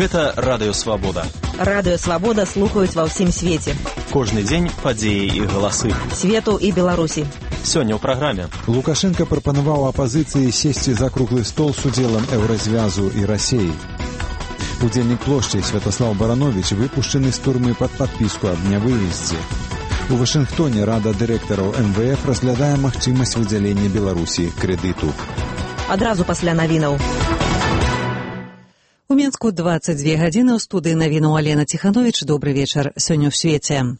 Гэта Радыё Свабода. Радыё Свабода слухаюць ва ўсім свеце. Кожны дзень падзеі і галасы. Свету і Беларусі. Сёння ў праграме. Лукашенко прапанаваў апазіцыі сесці за круглы стол з удзелам Еўразвязу і Расіі. Удзельнік плошчы Святаслав Баранович выпушчаны з турмы пад падпіску аб нявыездзе. У Вашынгтоне Рада дырэктараў МВФ разглядае магчымасць выдзялення Беларусі крэдыту. Адразу пасля навінаў. У Мінску 22 гадзіны, ў студыі навінаў Алена Ціхановіч. Добры вечар. Сёння ў свеце.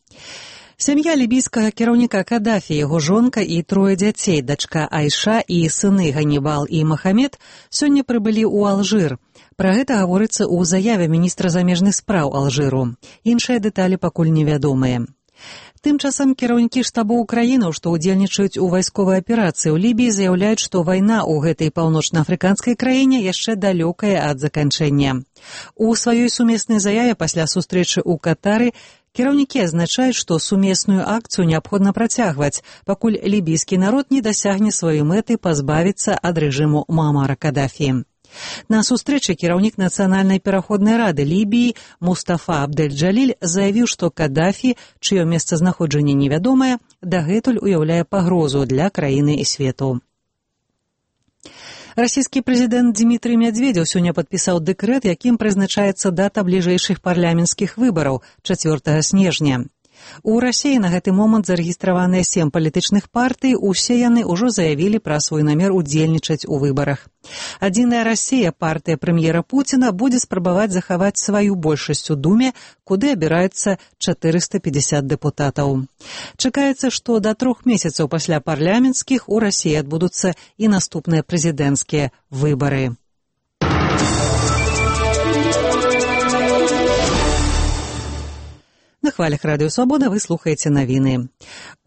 Сям'я лібійскага кіраўніка Кадафі, яго жонка і трое дзяцей, дачка Айша і сыны Ганібал і Махамед, сёння прыбылі ў Алжыр. Пра гэта гаворыцца ў заяве міністра замежных спраў Алжыру. Іншыя дэталі пакуль невядомыя. Тым часам кіраўнікі штабоў краінаў, што ўдзельнічаюць у вайсковай аперацыі ў Лібіі, заяўляюць, што вайна ў гэтай паўночна-афрыканскай краіне яшчэ далёкая ад заканчэння. У сваёй сумеснай заяве пасля сустрэчы ў Катары кіраўнікі азначаюць, што сумесную акцыю неабходна працягваць, пакуль лібійскі народ не дасягне сваёй мэты пазбавіцца ад рэжыму Муамара Кадафі. На сустрэчы кіраўнік Нацыянальнай пераходнай рады Лібіі Мустафа Абдэль-Джаліль заявіў, што Кадафі, чыё месцазнаходжанне невядомае, дагэтуль уяўляе пагрозу для краіны і свету. Расійскі прэзідэнт Дмітрый Медведзеў сёння падпісаў дэкрэт, якім прызначаецца дата бліжэйшых парламенцкіх выбараў 4 снежня. У Расіі на гэты момант зарэгістраваныя 7 палітычных партый, усе яны ўжо заявілі пра свой намер удзельнічаць у выбарах. Адзіная Расія, партыя прэм'ера Пуціна, будзе спрабаваць захаваць сваю большасць у Думе, куды абіраюцца 450 дэпутатаў. Чакаецца, што да 3 месяцаў пасля парламенцкіх у Расіі адбудуцца і наступныя прэзідэнцкія выбары. На хвалях Радыё Свабода вы слухаеце навіны.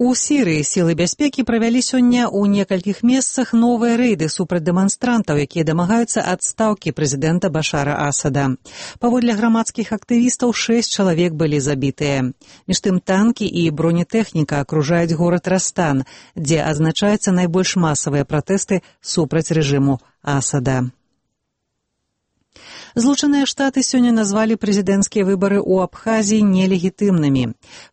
У Сірыі сілы бяспекі правялі сёння ў некалькіх месцах новыя рэйды супраць дэманстрантаў, якія дамагаюцца адстаўкі прэзідэнта Башара Асада. Паводле грамадскіх актывістаў 6 чалавек былі забітыя. Між тым танкі і бронетэхніка акружаюць горад Растан, дзе адзначаюцца найбольш масавыя пратэсты супраць рэжыму Асада. Злучаныя Штаты сёння назвалі прэзідэнцкія выбары ў Абхазіі нелегітымнымі.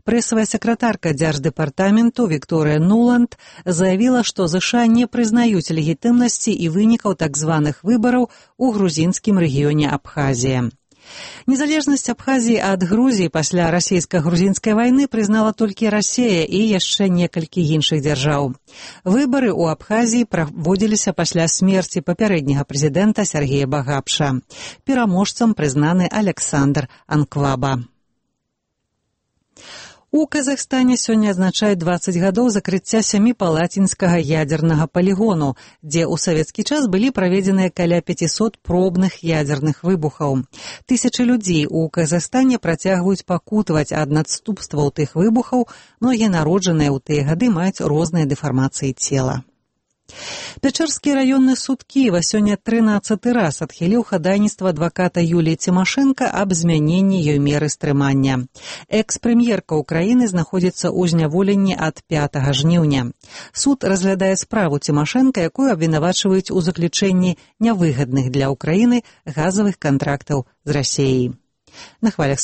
Прэсавая сакратарка дзярждэпартаменту Вікторыя Нуланд заявіла, што ЗША не прызнаюць легітымнасці і вынікаў так званых выбараў у грузінскім рэгіёне Абхазія. Незалежнасць Абхазіі ад Грузіі пасля расійска-грузінскай вайны прызнала толькі Расія і яшчэ некалькі іншых дзяржаў. Выбары ў Абхазіі праводзіліся пасля смерці папярэдняга прэзідэнта Сергея Багапша. Пераможцам прызнаны Александр Анкваба. У Казахстане сёння адзначаюць 20 гадоў закрыцця Сяміпалатінскага ядзернага палігону, дзе ў савецкі час былі праведзеныя каля 500 пробных ядзерных выбухаў. Тысячы людзей у Казахстане працягваюць пакутаваць ад надступстваў тых выбухаў, многія народжаныя ў тыя гады маюць розныя дэфармацыі цела. Пячэрскі раённы суд Кіева сёння 13 раз адхіліў хадайніцтва адваката Юліі Цімашэнка аб змяненні ёй меры стрымання. Экс-прэм'ерка ўкраіны знаходзіцца ў зняволенні ад 5 жніўня. Суд разглядае справу Цімашэнка, якую абвінавачваюць у заключэнні нявыгадных для ўкраіны газавых кантрактаў з Расіяй. На хвалях